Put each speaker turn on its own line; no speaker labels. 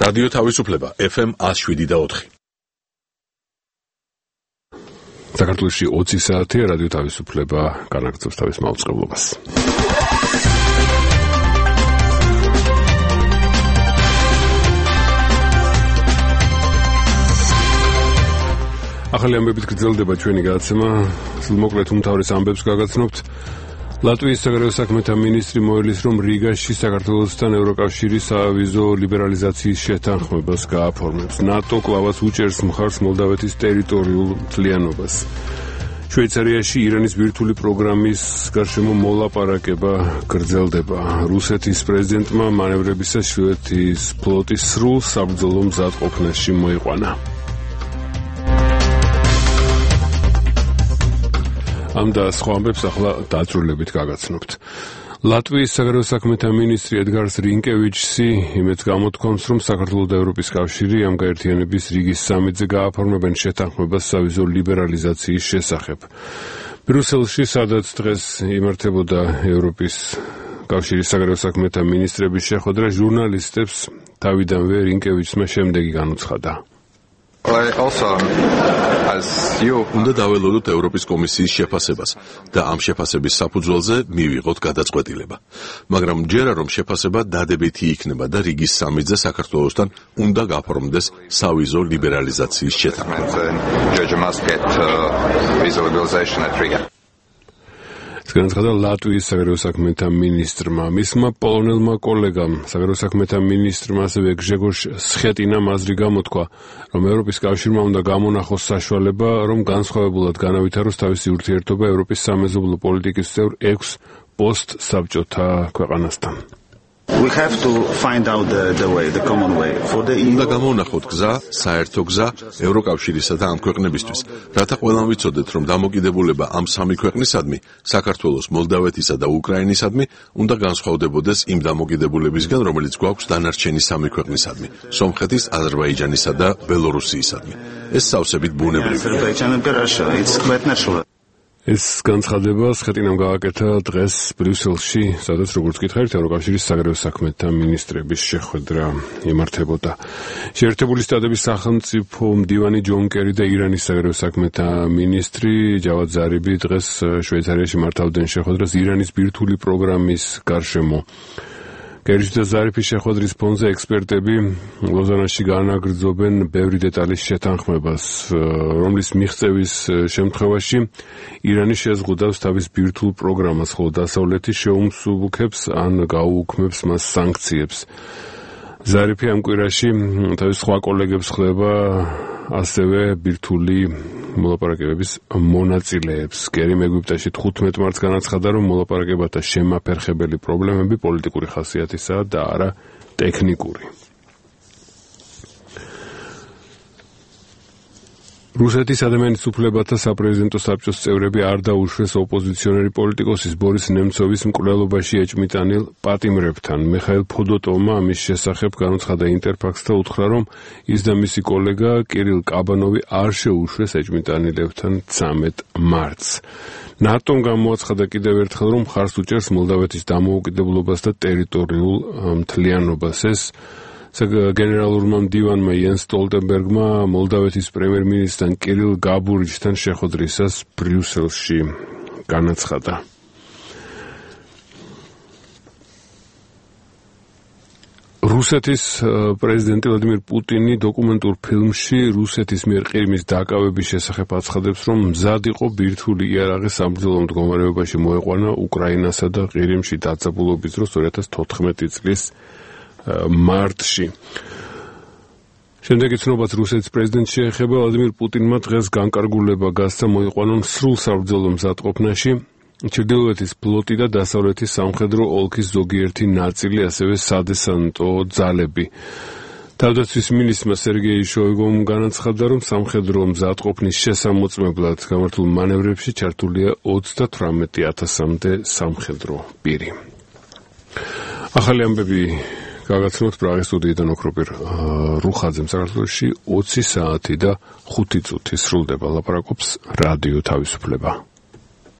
რადიო თავისუფლება FM 107.4.
საქართველოში 20 საათია რადიო თავისუფლება განაგრძობს თავის მაუწყებლობას. ახალი ამბებით გრძელდება ჩვენი გადაცემა. მოკლედ უმთავრეს ამბებს გაგაცნობთ. ლატვიის საგარეო საქმეთა მინისტრი მოელის, რომ რიგაში საქართველოსთან ევროკავშირის სავიზო ლიბერალიზაციის შეთანხმებას გააფორმებს. ნატო კლავაც უჭერს მხარს მოლდავეთის ტერიტორიულ მთლიანობას. შვეიცარიაში ირანის ბირთვული პროგრამის გარშემო მოლაპარაკება გრძელდება. რუსეთის პრეზიდენტმა მანევრებისას შვედეთის ფლოტის სრულ საბრძოლო მზადყოფნაში მოიყვანა. ამ და სხვა ამბებს ახლა დაწვრილებით გაგაცნობთ. ლატვიის საგარეო საქმეთა მინისტრი ედგარ რინკევიჩსი იმედს გამოთქვამს, რომ საქართველო და ევროპის კავშირი ამ გაერთიანების რიგის სამიტზე გააფორმებენ შეთანხმებას სავიზო ლიბერალიზაციის შესახებ. ბრიუსელში, სადაც დღეს იმართებოდა ევროპის კავშირის საგარეო საქმეთა მინისტრების შეხვედრა, ჟურნალისტებს თავიდანვე რინკევიჩსმა შემდეგი განუცხადა.
უნდა დაველოდოთ ევროპის კომისიის შეფასებას და ამ შეფასების საფუძველზე მივიღოთ გადაწყვეტილება. მაგრამ ჯერა რომ შეფასება დადებითი იქნება და რიგის სამიტზე საქართველოსთან უნდა გაფორმდეს სავიზო ლიბერალიზაციის შეთანხმება.
განაცხადა ლატვიის საგარეო საქმეთა მინისტრმა. მისმა პოლონელმა კოლეგამ საგარეო საქმეთა მინისტრმა ასევე გჟეგორ სხეტინამ აზრი გამოთქვა, რომ ევროპის კავშირმა უნდა გამონახოს საშუალება, რომ განსხვავებულად განავითაროს თავისი ურთიერთობა ევროპის სამეზობლო პოლიტიკის წევრ 6 პოსტსაბჭოთა ქვეყანასთან.
We have to find out the way, the common way for the EU.
უნდა გამოვნახოთ გზა, საერთო გზა ევროკავშირისა და ამ ქვეყნებისთვის, რათა ყველამ ვიცოდეთ, რომ დამოკიდებულება ამ სამი ქვეყნისადმი, საქართველოს, მოლდავეთისა და უკრაინისადმი, უნდა განსხვავდებოდეს იმ დამოკიდებულებისგან, რომელიც გვაქვს დანარჩენი სამი ქვეყნისადმი, სომხეთის, აზერბაიჯანისა და ბელორუსიისადმი. ეს სავსებით ბუნებრივია.
ეს განცხადება სხეტინამ გააკეთა დღეს ბრიუსელში, სადაც როგორც გითხარით, ევროკავშირის საგარეო საქმეთა მინისტრების შეხვედრა იმართებოდა. შეერთებული შტატების სახელმწიფო მდივანი ჯონ კერი და ირანის საგარეო საქმეთა მინისტრი ჯავად ზარიბი დღეს შვეიცარიაში მართავდნენ შეხვედრას ირანის ბირთვული პროგრამის გარშემო. კერის და ზარიფის შეხვედრის ფონზე ექსპერტები ლოზანაში განაგრძობენ ბევრი დეტალის შეთანხმებას, რომლის მიღწევის შემთხვევაში ირანი შეზღუდავს თავის ბირთვულ პროგრამას, ხოლო დასავლეთი შეუმსუბუქებს ან გაუუქმებს მას სანქციებს. ზარიფი ამ კვირაში თავის სხვა კოლეგებს ხვდება ასევე ბირთვული მოლაპარაკებების მონაწილეებს. კერიმ ეგვიპტეში 15 მარტს განაცხადა, რომ მოლაპარაკებათა შემაფერხებელი პრობლემები პოლიტიკური ხასიათისაა და არა ტექნიკური. რუსეთის ადამიანის უფლებათა საპრეზიდენტო საბჭოს წევრები არ დაუშვეს ოპოზიციონერი პოლიტიკოსის ბორის ნემცოვის მკვლელობაში ეჭმიტანილ პატიმრებთან. მიხაილ ფოდოტოვმა ამის შესახებ განუცხადა ინტერფაქსს და უთხრა, რომ ის და მისი კოლეგა კირილ კაბანოვი არ შეუშვეს ეჭმიტანილებთან 13 მარტს. ნატომ გამოაცხადა კიდევ ერთხელ, რომ მხარს უჭერს მოლდავეთის დამოუკიდებლობას და ტერიტორიულ მთლიანობას. ეს გენერალურმა მდივანმა იენს სტოლტენბერგმა მოლდავეთის პრემიერ-მინისტრთან კირილ გაბურიჩთან შეხვედრისას ბრიუსელში განაცხადა. რუსეთის პრეზიდენტი ვლადიმირ პუტინი დოკუმენტურ ფილმში რუსეთის მიერ ყირიმის დაკავების შესახებ აცხადებს, რომ მზად იყო ბირთვული იარაღი საბრძოლო მდგომარეობაში მოეყვანა უკრაინასა და ყირიმში დაძაბულობის დროს 2014 წლის მარტში. შემდეგი ცნობაც რუსეთის პრეზიდენტს შეეხება. ვლადიმირ პუტინმა დღეს განკარგულება გასცა მოიყვანონ სრულ საბრძოლო მზადყოფნაში ჩრდილოეთის ფლოტი და დასავლეთის სამხედრო ოლქის ზოგიერთი ნაწილი, ასევე სადესანტო ძალები. თავდაცვის მინისტრმა სერგეი შოიგომ განაცხადა, რომ სამხედრო მზადყოფნის შესამოწმებლად გამართულ მანევრებში ჩართულია 38,000-მდე სამხედრო პირი. ახალი ამბები გაგაცნობთ პრაღის სტუდიიდან ოქროპირ რუხაძემ. საქართველოში 20 საათი და 5 წუთი სრულდება. ლაპარაკობს რადიო თავისუფლება.